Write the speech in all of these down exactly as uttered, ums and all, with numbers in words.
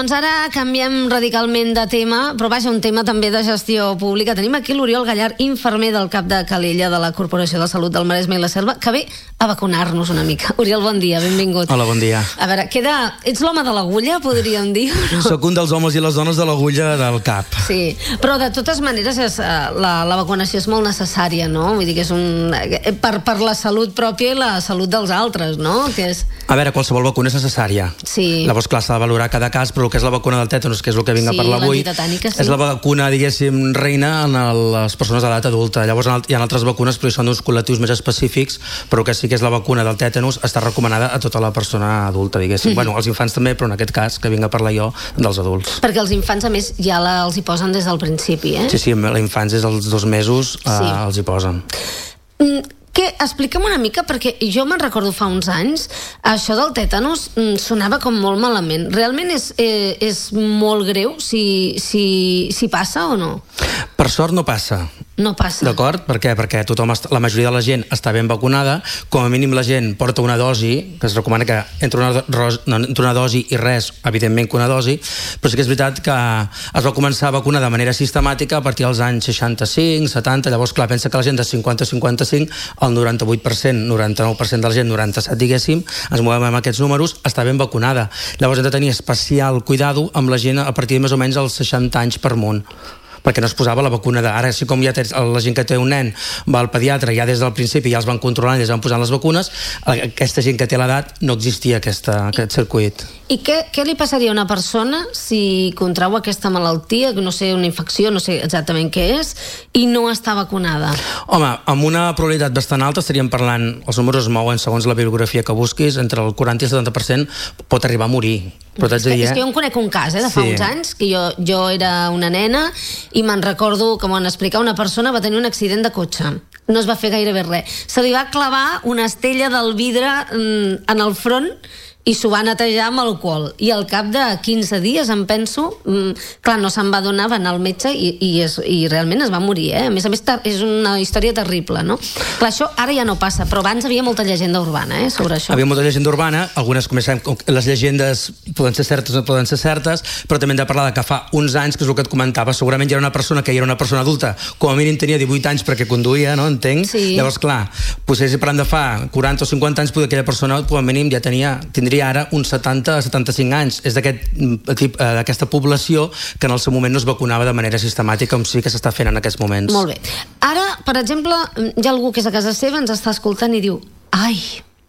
Doncs ara canviem radicalment de tema, però vaja, un tema també de gestió pública. Tenim aquí l'Oriol Gallard, infermer del cap de Calella de la Corporació de Salut del Maresme i la Selva, que ve a vacunar-nos una mica. Oriol, bon dia, benvingut. Hola, bon dia. A veure, queda... Ets l'home de l'agulla, podríem dir? No? Soc un dels homes i les dones de l'agulla del cap. Sí, però de totes maneres és, la, la vacunació és molt necessària, no? Vull dir que és un... Per, per la salut pròpia i la salut dels altres, no? Que és... A veure, qualsevol vacuna és necessària. Sí. Llavors, clar, s'ha de valorar cada cas, però el que és la vacuna del tètanus, que és el que vinc sí, a parlar avui, sí. és la vacuna, diguéssim, reina en el, les persones d'edat adulta. Llavors hi ha altres vacunes, però són d'uns col·lectius més específics, però que sí que és la vacuna del tètanus, està recomanada a tota la persona adulta, diguéssim. Mm-hmm. Bueno, els infants també, però en aquest cas, que vinc a parlar jo, dels adults. Perquè els infants, a més, ja la, els hi posen des del principi, eh? Sí, sí, els infants des dels dos mesos eh, sí. els hi posen. Mm. Que, explica'm una mica, perquè jo me'n recordo fa uns anys, això del tètanus sonava com molt malament. Realment és, eh, és molt greu si, si, si passa o no? Per sort no passa. No passa. D'acord? Per què? Perquè tothom, la majoria de la gent està ben vacunada, com a mínim la gent porta una dosi, que es recomana que entre una, no, entre una dosi i res, evidentment que una dosi, però sí que és veritat que es va començar a vacunar de manera sistemàtica a partir dels anys seixanta-cinc, setanta, llavors clar, pensa que la gent de cinquanta a cinquanta-cinc, el noranta-vuit per cent, noranta-nou per cent de la gent, noranta-set diguéssim, ens movem amb aquests números, està ben vacunada. Llavors hem de tenir especial cuidado amb la gent a partir de més o menys els seixanta anys per munt, perquè no es posava la vacuna de... Ara, si com ja tens, la gent que té un nen va al pediatre, ja des del principi ja els van controlant i ja els van posant les vacunes, aquesta gent que té l'edat no existia aquesta, aquest circuit. I què, què li passaria a una persona si contrau aquesta malaltia, no sé, una infecció, no sé exactament què és, i no està vacunada? Home, amb una probabilitat bastant alta estaríem parlant, els números es mouen segons la bibliografia que busquis, entre el quaranta i el setanta per cent pot arribar a morir. Però és, que, dir, eh? és que jo em conec un cas, eh, de fa sí. uns anys, que jo, jo era una nena i me'n recordo que m'ho han explicat, una persona va tenir un accident de cotxe. No es va fer gairebé res. Se li va clavar una estella del vidre mm, en el front i s'ho va netejar amb alcohol. I al cap de quinze dies, em penso, mmm, clar, no se'n va donar, va anar al metge i, i, es, i realment es va morir, eh? A més a més, és una història terrible, no? Clar, això ara ja no passa, però abans havia molta llegenda urbana, eh, sobre això. Havia molta llegenda urbana, algunes, com sabem, les llegendes poden ser certes o no poden ser certes, però també hem de parlar de que fa uns anys, que és el que et comentava, segurament ja era una persona que ja era una persona adulta, com a mínim tenia divuit anys perquè conduïa, no? Entenc? Sí. Llavors, clar, potser si parlant de fa quaranta o cinquanta anys, potser aquella persona, com a mínim, ja tenia, tindria ara uns setanta a setanta-cinc anys. És d'aquest tipus, d'aquesta població que en el seu moment no es vacunava de manera sistemàtica, com sí que s'està fent en aquests moments. Molt bé. Ara, per exemple, hi ha algú que és a casa seva, ens està escoltant i diu: ai,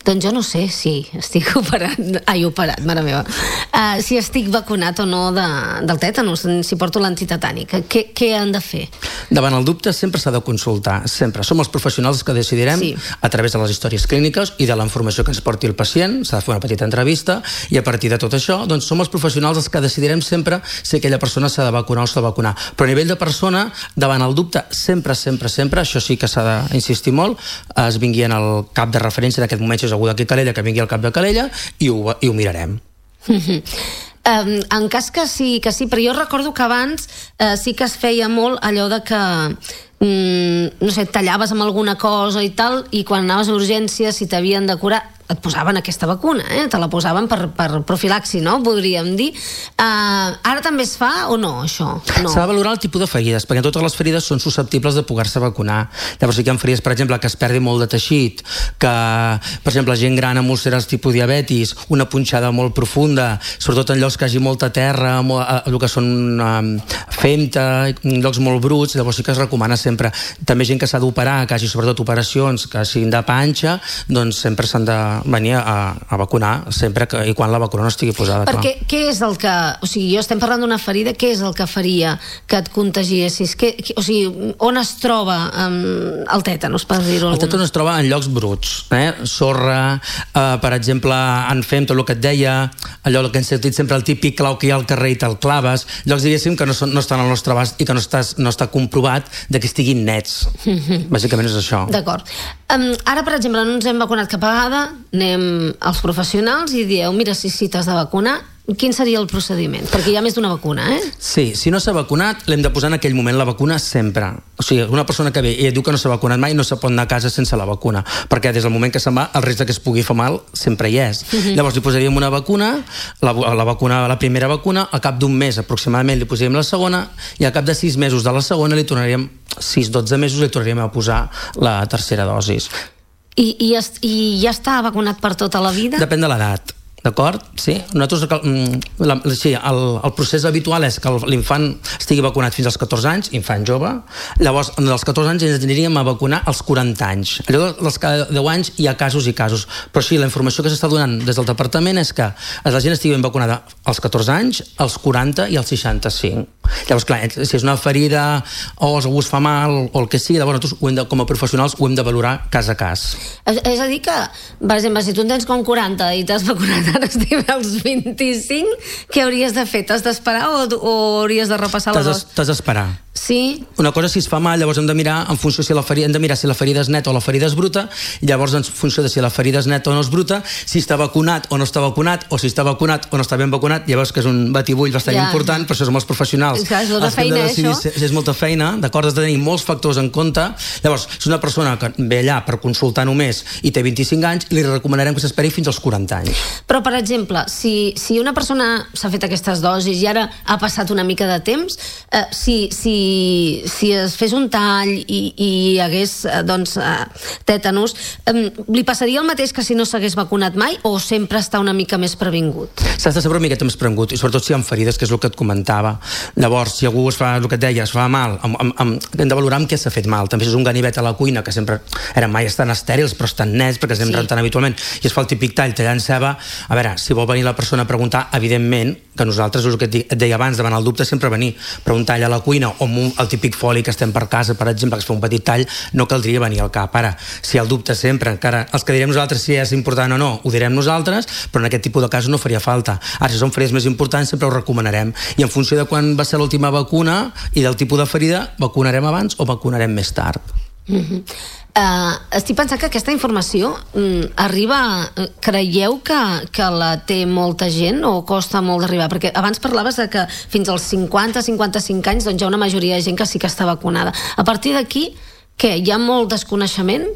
doncs jo no sé si estic operat, ai, operat, mare meva, uh, si estic vacunat o no de, del tètanus, si porto l'antitetànic. Què, què han de fer? Davant el dubte sempre s'ha de consultar, sempre. Som els professionals que decidirem, sí, a través de les històries clíniques i de la informació que ens porti el pacient, s'ha de fer una petita entrevista, i a partir de tot això, doncs som els professionals els que decidirem sempre si aquella persona s'ha de vacunar o s'ha de vacunar. Però a nivell de persona, davant el dubte, sempre, sempre, sempre, això sí que s'ha d'insistir molt, es vingui en el cap de referència d'aquest moment, algú d'aquí Calella, que vingui al cap de Calella, i ho, i ho mirarem. Um, en cas que sí, que sí, però jo recordo que abans uh, sí que es feia molt allò de que um, no sé, tallaves amb alguna cosa i tal, i quan anaves a urgències, si t'havien de curar, et posaven aquesta vacuna, eh? Te la posaven per, per profilaxi, no? Podríem dir. Uh, ara també es fa o no, això? No. S'ha de valorar el tipus de ferides, perquè totes les ferides són susceptibles de poder-se vacunar. Llavors sí que hi ha ferides, per exemple, que es perdi molt de teixit, que, per exemple, gent gran amb úlceres tipus diabetis, una punxada molt profunda, sobretot en llocs que hi hagi molta terra, molt, el que són um, femta, llocs molt bruts, llavors sí que es recomana sempre. També gent que s'ha d'operar, que hagi sobretot operacions que siguin de panxa, doncs sempre s'han de venir a, a vacunar sempre que, i quan la vacuna no estigui posada. Perquè clar, què és el que... O sigui, jo estem parlant d'una ferida, què és el que faria que et contagiessis? Que, que, o sigui, on es troba um, el tètanus, per dir-ho alguna? El tètanus es troba en llocs bruts, eh? Sorra, eh, per exemple, en fem tot el que et deia, allò que hem sentit sempre, el típic clau que hi ha al carrer i te'l claves, llocs, diguéssim, que no, són, no estan al nostre abast i que no, estàs, no està comprovat de que estiguin nets. Bàsicament és això. D'acord. Um, ara, per exemple, no ens hem vacunat cap vegada, anem als professionals i dieu, mira, si, si t'has de vacunar, quin seria el procediment? Perquè hi ha més d'una vacuna, eh? Sí, si no s'ha vacunat, l'hem de posar en aquell moment la vacuna sempre. O sigui, una persona que ve i et diu que no s'ha vacunat mai no se pot anar a casa sense la vacuna, perquè des del moment que se'n va, el risc que es pugui fer mal sempre hi és. Uh-huh. Llavors li posaríem una vacuna, la, la vacuna, la primera vacuna, al cap d'un mes aproximadament li posaríem la segona, i al cap de sis mesos de la segona li tornaríem, sis dotze mesos li tornaríem a posar la tercera dosis. I, i, I ja està vacunat per tota la vida? Depèn de l'edat. D'acord? Sí. Nosaltres, la, sí, el, el procés habitual és que l'infant estigui vacunat fins als catorze anys, infant jove. Llavors, als catorze anys ens aniríem a vacunar als quaranta anys. Allò dels cada deu anys hi ha casos i casos. Però sí, la informació que s'està donant des del departament és que la gent estigui ben vacunada als catorze anys, als quaranta i als seixanta-cinc. Llavors, clar, si és una ferida o algú es fa mal o el que sigui, llavors nosaltres ho hem de, com a professionals ho hem de valorar cas a cas. És, és a dir que, per exemple, si tu en tens com quaranta i t'has vacunat ara estem als vint-i-cinc, què hauries de fer? T'has d'esperar o, o hauries de repassar la dos? T'has d'esperar. Sí? Una cosa, si es fa mal, llavors hem de mirar en funció si la ferida, hem de mirar si la ferida és neta o la ferida és bruta, i llavors en funció de si la ferida és neta o no és bruta, si està vacunat o no està vacunat, o si està vacunat o no està ben vacunat, llavors que és un batibull bastant ja. important, per això som els professionals. És, clar, és molta feina, de decidir, això. Si és molta feina, d'acord, has de tenir molts factors en compte. Llavors, si una persona que ve allà per consultar només i té vint-i-cinc anys, li recomanarem que s'esperi fins als quaranta anys. Però, per exemple, si, si una persona s'ha fet aquestes dosis i ara ha passat una mica de temps, eh, si, si, si es fes un tall i, i hi hagués eh, doncs, eh, tètanus, eh, li passaria el mateix que si no s'hagués vacunat mai o sempre està una mica més previngut? S'ha de saber una miqueta més previngut, i sobretot si hi ha ferides, que és el que et comentava. Llavors, si algú es fa, el que et deia, es fa mal, amb, amb, amb, hem de valorar amb què s'ha fet mal. També si és un ganivet a la cuina, que sempre eren mai estan estèrils, però estan nets, perquè es anem sí. rentant habitualment, i es fa el típic tall tallant ceba, a veure, si vol venir la persona a preguntar, evidentment, que nosaltres, el que et deia abans, davant el dubte sempre venir, però un tall a la cuina o un, el típic foli que estem per casa, per exemple, que es fa un petit tall, no caldria venir al cap. Ara, si el dubte sempre, encara els que direm nosaltres si és important o no, ho direm nosaltres, però en aquest tipus de casos no faria falta. Ara, si són ferides més importants, sempre ho recomanarem. I en funció de quan va ser l'última vacuna i del tipus de ferida, vacunarem abans o vacunarem més tard. Mm-hmm. Uh, estic pensant que aquesta informació mm, arriba, creieu que, que la té molta gent o costa molt d'arribar? Perquè abans parlaves de que fins als cinquanta a cinquanta-cinc anys doncs hi ha una majoria de gent que sí que està vacunada. A partir d'aquí, què? Hi ha molt desconeixement?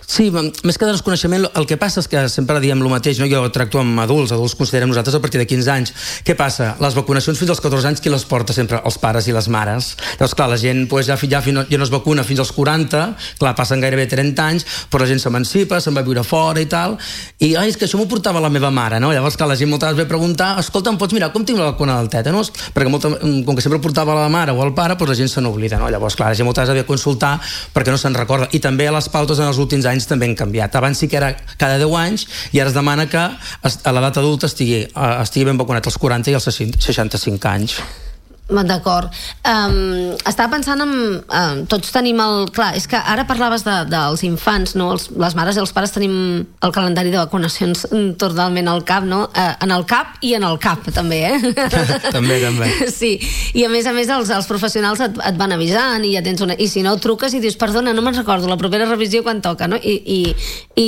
Sí, més que de desconeixement, el que passa és que sempre diem el mateix, no? Jo tracto amb adults, adults considerem nosaltres a partir de quinze anys. Què passa? Les vacunacions fins als catorze anys qui les porta sempre? Els pares i les mares. Llavors, clar, la gent pues, ja, ja, ja no es vacuna fins als quaranta, clar, passen gairebé trenta anys, però la gent s'emancipa, se'n va a viure fora i tal, i ai, és que això m'ho portava la meva mare, no? Llavors, clar, la gent moltes vegades ve a preguntar, escolta, em pots mirar com tinc la vacuna del tètanus? Perquè molta, com que sempre portava la mare o el pare, pues, la gent se n'oblida, no? Llavors, clar, la gent moltes vegades ve a consultar perquè no se'n recorda. I també les pautes en els últims anys també han canviat. Abans sí que era cada deu anys i ara es demana que a l'edat adulta estigui, estigui ben vacunat als quaranta i als seixanta-cinc anys. D'acord. Um, estava pensant en... Um, tots tenim el... Clar, és que ara parlaves de, dels infants, no? Els, les mares i els pares tenim el calendari de vacunacions totalment al cap, no? Uh, en el cap i en el cap, també, eh? també, també. Sí, i a més a més els, els professionals et, et van avisant i ja tens una... I si no, truques i dius, perdona, no me'n recordo, la propera revisió quan toca, no? I, i,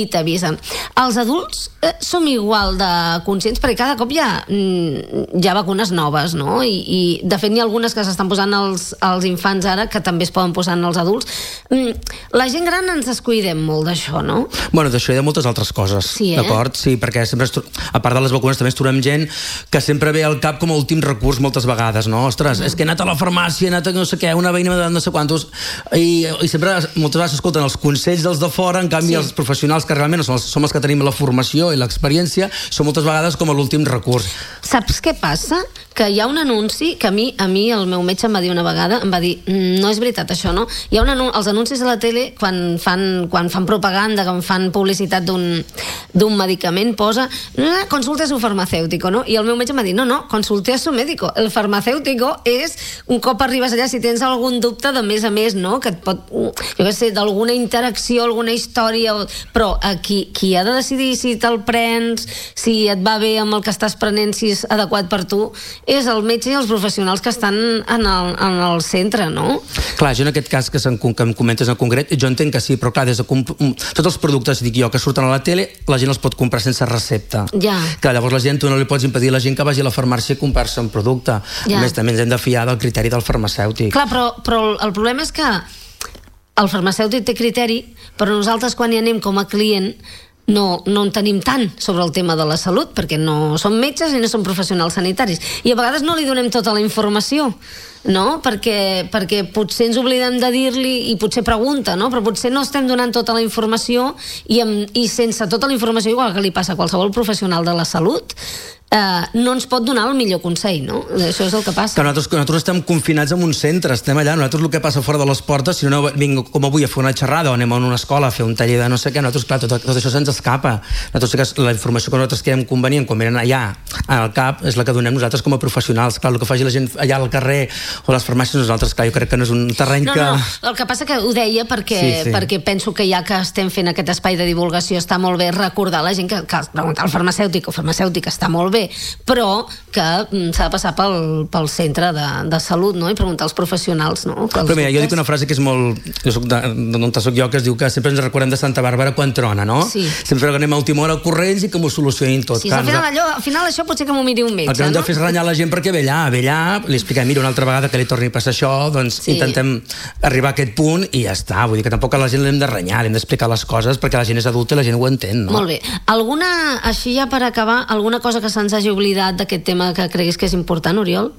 i t'avisen. Els adults eh, som igual de conscients, perquè cada cop hi ha, hi ha vacunes noves, no? I, i de fet, n'hi ha algunes que s'estan posant als, als infants ara que també es poden posar en els adults. La gent gran ens descuidem molt d'això, no? Bueno, d'això hi ha moltes altres coses, sí, eh? D'acord? Sí, perquè sempre, a part de les vacunes també es trobem gent que sempre ve al cap com a últim recurs moltes vegades, no? Ostres, mm. és que he anat a la farmàcia, he anat a no sé què, una veïna m'ha donat no sé quantos, i, i sempre moltes vegades escolten els consells dels de fora, en canvi sí. els professionals que realment som els, som els que tenim la formació i l'experiència, són moltes vegades com a l'últim recurs. Saps què passa? Que hi ha un anunci que a mi, a mi el meu metge em va dir una vegada, em va dir, no és veritat això, no? Hi ha un anunci, els anuncis a la tele, quan fan, quan fan propaganda, quan fan publicitat d'un d'un medicament, posa consulte a su farmacéutico, no? I el meu metge em va dir, no, no, consulte a su médico. El farmacéutico és, un cop arribes allà, si tens algun dubte de més a més, no? Que et pot, jo què sé, d'alguna interacció, alguna història, però qui, qui ha de decidir si te'l prens, si et va bé amb el que estàs prenent, si és adequat per tu, és el metge i els professionals que estan en el, en el centre, no? Clar, jo en aquest cas que, que em comentes en concret, jo entenc que sí, però clar, des de tots els productes, dic jo, que surten a la tele, la gent els pot comprar sense recepta. Ja. Clar, llavors la gent, tu no li pots impedir a la gent que vagi a la farmàcia a comprar-se un producte. Ja. A més, també ens hem de fiar del criteri del farmacèutic. Clar, però, però el problema és que el farmacèutic té criteri, però nosaltres quan hi anem com a client no, no en tenim tant sobre el tema de la salut, perquè no som metges i no som professionals sanitaris. I a vegades no li donem tota la informació, no? Perquè, perquè potser ens oblidem de dir-li i potser pregunta, no? Però potser no estem donant tota la informació i, amb, i sense tota la informació, igual que li passa a qualsevol professional de la salut, Uh, no ens pot donar el millor consell, no? Això és el que passa. Que nosaltres, nosaltres estem confinats en un centre, estem allà, nosaltres el que passa fora de les portes, si no vinc com avui a fer una xerrada o anem a una escola a fer un taller de no sé què, nosaltres, clar, tot, tot això se'ns escapa. Nosaltres, la informació que nosaltres creiem convenient quan venen allà al cap és la que donem nosaltres com a professionals. Clar, el que faci la gent allà al carrer o a les farmàcies, nosaltres, clar, jo crec que no és un terreny no, que... No, el que passa que ho deia perquè, sí, sí. perquè penso que ja que estem fent aquest espai de divulgació està molt bé recordar a la gent que, que preguntar al farmacèutic o farmacèutic està molt bé, però que s'ha de passar pel, pel centre de, de salut, no? I preguntar als professionals, no? Però mira, jo dic una frase que és molt... Jo soc d'on soc jo, que es diu que sempre ens recordem de Santa Bàrbara quan trona, no? Sí. Sempre que anem a última hora corrents i que m'ho solucionin tot. Sí, al final, allò, al final això potser que m'ho miri un metge, el que no? El que hem de fer és renyar la gent perquè ve allà, ve allà, li expliquem, mira, una altra vegada que li torni a passar això, doncs sí. Intentem arribar a aquest punt i ja està. Vull dir que tampoc a la gent l'hem de renyar, l'hem d'explicar les coses perquè la gent és adulta i la gent ho entén, no? Molt bé. Alguna, així ja per acabar, alguna cosa que se'ns hagi oblidat d'aquest tema que creguis que és important, Oriol?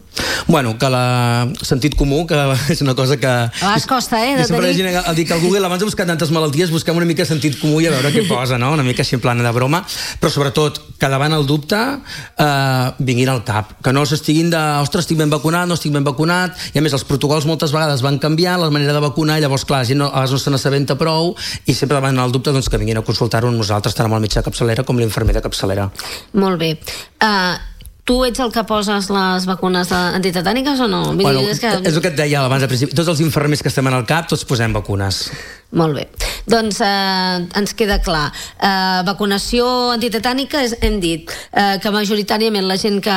Bueno, que la sentit comú, que és una cosa que... A vegades costa, eh, de tenir... Sempre al dir que al Google, abans de buscar tantes malalties, busquem una mica sentit comú i a veure què posa, no? Una mica així en plana de broma, però sobretot, que davant el dubte eh, vinguin al cap, que no s'estiguin de, ostres, estic ben vacunat, no estic ben vacunat, i a més els protocols moltes vegades van canviar, la manera de vacunar, i llavors, clar, la gent no, a vegades no se n'assabenta prou, i sempre davant el dubte, doncs, que vinguin a consultar-ho amb nosaltres, tant amb el metge de capçalera com l'infermer de capçalera. Molt bé. Uh, Tu ets el que poses les vacunes antitetàniques o no? Bueno, és, que... és el que et deia abans al principi. Tots els infermers que estem en el cap, tots posem vacunes. Molt bé. Doncs eh, ens queda clar. Eh, vacunació antitetànica, és, hem dit eh, que majoritàriament la gent que,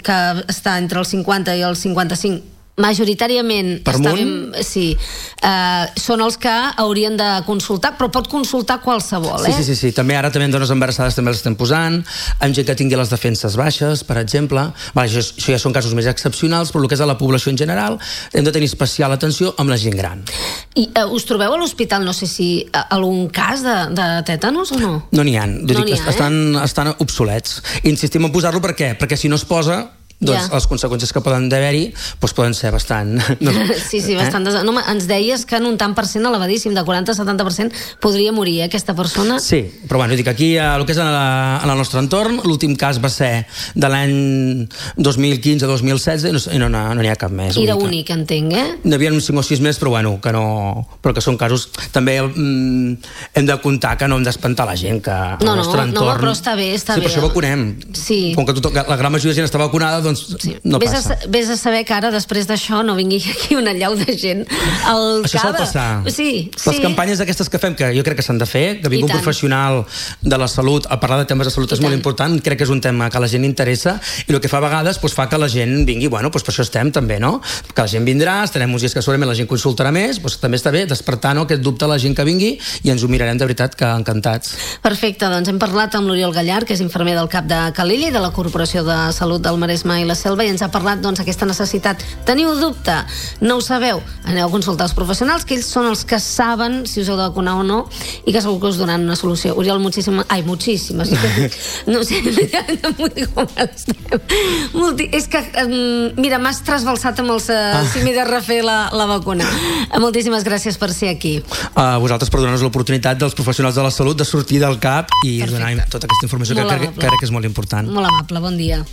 que està entre els cinquanta i els cinquanta-cinc majoritàriament per està munt? Ben, sí, uh, són els que haurien de consultar, però pot consultar qualsevol, sí, eh? Sí, sí, sí, també ara també en dones embarassades també les estem posant, en gent que tingui les defenses baixes, per exemple. Vale, això, això ja són casos més excepcionals, però el que és a la població en general hem de tenir especial atenció amb la gent gran. I uh, us trobeu a l'hospital, no sé si uh, algun cas de, de tètanos o no? No n'hi ha, no dic, ha estan, eh? estan obsolets. Insistim en posar-lo per què? Perquè si no es posa, doncs ja. Les conseqüències que poden haver-hi doncs poden ser bastant... No? Sí, sí, bastant... Eh? Des... No, ens deies que en un tant per cent elevadíssim, de quaranta a setanta per cent podria morir, eh, aquesta persona. Sí, però bueno, dic, aquí, el que és en, la, en el nostre entorn, l'últim cas va ser de l'any dos mil quinze dos mil setze i no n'hi no, no ha cap més. Era únic, entenc, eh? N'hi havia uns cinc o sis més, però bueno, que no... Però que són casos... També mm, hem de comptar que no hem d'espantar la gent, que no, el nostre no, entorn... No, però està bé, està sí, bé. Sí, per això vacunem. Sí. Com que tot, la gran majoria de gent està vacunada, doncs sí. No vés passa. A, vés a saber que ara, després d'això, no vingui aquí una llau de gent al això cada... Això sol passar. Sí, sí. Les campanyes aquestes que fem, que jo crec que s'han de fer, que vingui un professional de la salut a parlar de temes de salut és molt important, crec que és un tema que a la gent interessa, i el que fa a vegades doncs, fa que la gent vingui, bueno, doncs per això estem també, no? Que la gent vindrà, estarem uns dies que segurament la gent consultarà més, doncs també està bé despertar, no?, aquest dubte a la gent que vingui i ens ho mirarem de veritat que encantats. Perfecte, doncs hem parlat amb l'Oriol Gallar, que és infermer del CAP de Calella i de la Corporació de Salut del Maresme i la Selva, i ens ha parlat doncs aquesta necessitat. Teniu dubte? No ho sabeu? Aneu a consultar els professionals, que ells són els que saben si us heu de vacunar o no i que segur que us donaran una solució. Oriol, moltíssimes... Ai, moltíssimes. No sé, no m'ho dic com estem. Multi... És que, um, mira, m'has trasbalsat amb els... Uh, si m'he de refer la, la vacuna. Moltíssimes gràcies per ser aquí. A uh, vosaltres per donar-nos l'oportunitat dels professionals de la salut de sortir del CAP i Perfecte. Donar tota aquesta informació que crec, que crec que és molt important. Molt amable, bon dia.